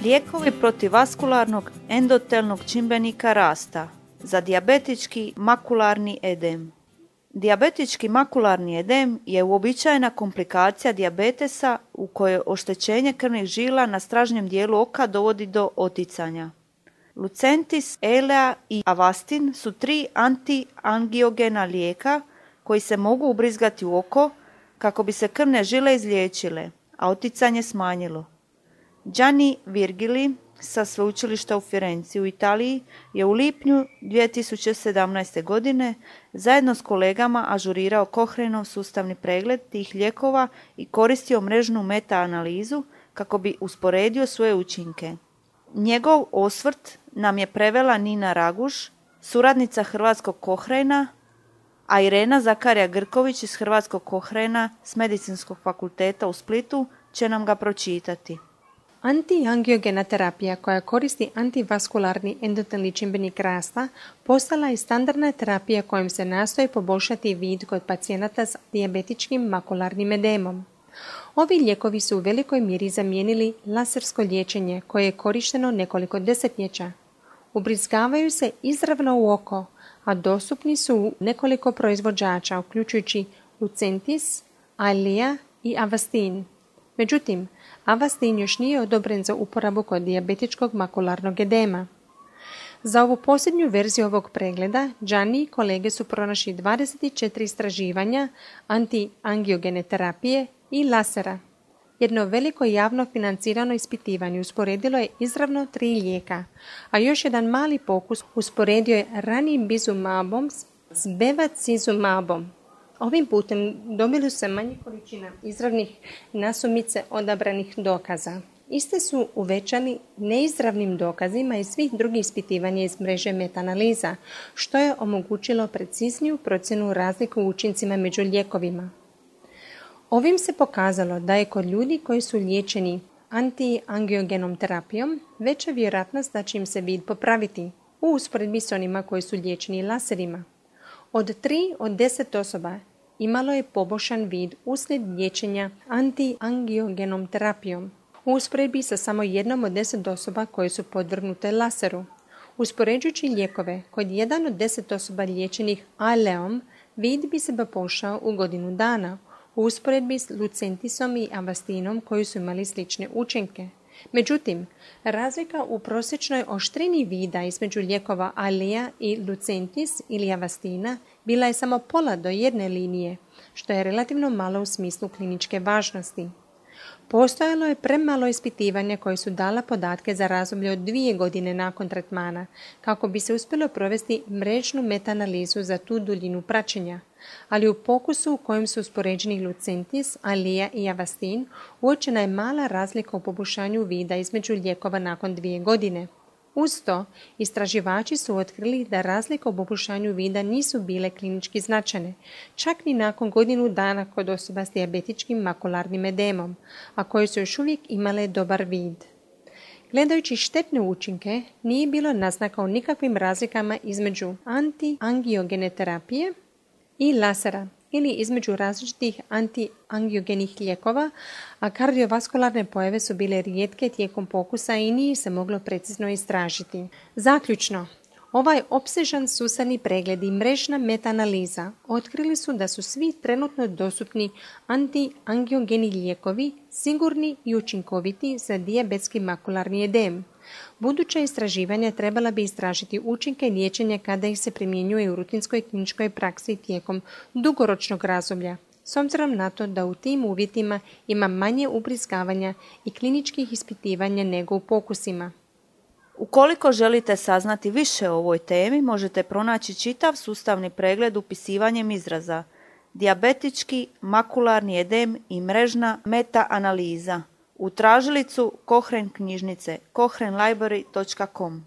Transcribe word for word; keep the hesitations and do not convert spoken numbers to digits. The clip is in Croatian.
Lijekovi protiv vaskularnog endotelnog čimbenika rasta za dijabetički makularni edem. Dijabetički makularni edem je uobičajena komplikacija dijabetesa u kojoj oštećenje krvnih žila na stražnjem dijelu oka dovodi do oticanja. Lucentis, Eylea i Avastin su tri antiangiogena lijeka koji se mogu ubrizgati u oko kako bi se krvne žile izliječile, a oticanje smanjilo. Gianni Virgili sa sveučilišta u Firenci u Italiji je u lipnju dvije tisuće sedamnaeste. godine zajedno s kolegama ažurirao Cochraneov sustavni pregled tih lijekova i koristio mrežnu meta-analizu kako bi usporedio svoje učinke. Njegov osvrt nam je prevela Nina Raguž, suradnica hrvatskog Cochrana, a Irena Zakarija Grković iz hrvatskog Cochrana s Medicinskog fakulteta u Splitu će nam ga pročitati. Antiangiogena terapija koja koristi antivaskularni endotelni čimbenik rasta postala je standardna terapija kojom se nastoji poboljšati vid kod pacijenata s dijabetičkim makularnim edemom. Ovi lijekovi su u velikoj mjeri zamijenili lasersko liječenje koje je korišteno nekoliko desetljeća. Ubrizgavaju se izravno u oko, a dostupni su u nekoliko proizvođača, uključujući Lucentis, Eylea i Avastin. Međutim, Avastin još nije odobren za uporabu kod dijabetičkog makularnog edema. Za ovu posljednju verziju ovog pregleda, Gianni i kolege su pronašli dvadeset četiri istraživanja antiangiogene terapije i lasera. Jedno veliko javno financirano ispitivanje usporedilo je izravno tri lijeka, a još jedan mali pokus usporedio je ranibizumabom s bevacizumabom. Ovim putem dobili su se manje količina izravnih nasumice odabranih dokaza. Iste su uvećani neizravnim dokazima i svih drugih ispitivanja iz mreže meta-analiza, što je omogućilo precizniju procjenu razliku u učincima među lijekovima. Ovim se pokazalo da je kod ljudi koji su liječeni antiangiogenom terapijom veća vjerojatnost da će im se vid popraviti u usporedbi s onima koji su liječeni laserima. Od tri od deset osoba imalo je poboljšan vid uslijed liječenja antiangiogenom terapijom, u usporedbi sa samo jednom od deset osoba koje su podvrgnute laseru. Uspoređujući lijekove, kod jedan od deset osoba liječenih Eyleom, vid bi se poboljšao u godinu dana, u usporedbi s Lucentisom i Avastinom koji su imali slične učinke. Međutim, razlika u prosječnoj oštrini vida između lijekova Eylea i Lucentis ili Avastina bila je samo pola do jedne linije, što je relativno malo u smislu kliničke važnosti. Postojalo je premalo ispitivanja koje su dala podatke za razdoblje od dvije godine nakon tretmana, kako bi se uspjelo provesti mrežnu meta-analizu za tu duljinu praćenja, ali u pokusu u kojem su uspoređeni Lucentis, Eylea i Avastin uočena je mala razlika u poboljšanju vida između lijekova nakon dvije godine. Uz to, istraživači su otkrili da razlike u poboljšanju vida nisu bile klinički značajne, čak ni nakon godinu dana kod osoba s dijabetičkim makularnim edemom, a koje su još uvijek imale dobar vid. Gledajući štetne učinke, nije bilo naznaka o nikakvim razlikama između antiangiogene terapije i lasera ili između različitih antiangiogenih lijekova, a kardiovaskularne pojave su bile rijetke tijekom pokusa i nije se moglo precizno istražiti. Zaključno, ovaj opsežan sustavni pregled i mrežna meta-analiza otkrili su da su svi trenutno dostupni antiangiogeni lijekovi sigurni i učinkoviti za dijabetski makularni edem. Buduća istraživanja trebala bi istražiti učinke liječenja kada ih se primjenjuje u rutinskoj kliničkoj praksi tijekom dugoročnog razdoblja, s obzirom na to da u tim uvjetima ima manje ubrizgavanja i kliničkih ispitivanja nego u pokusima. Ukoliko želite saznati više o ovoj temi, možete pronaći čitav sustavni pregled upisivanjem izraza dijabetički makularni edem i mrežna meta-analiza u tražilicu Cochrane knjižnice cochrane library dot com.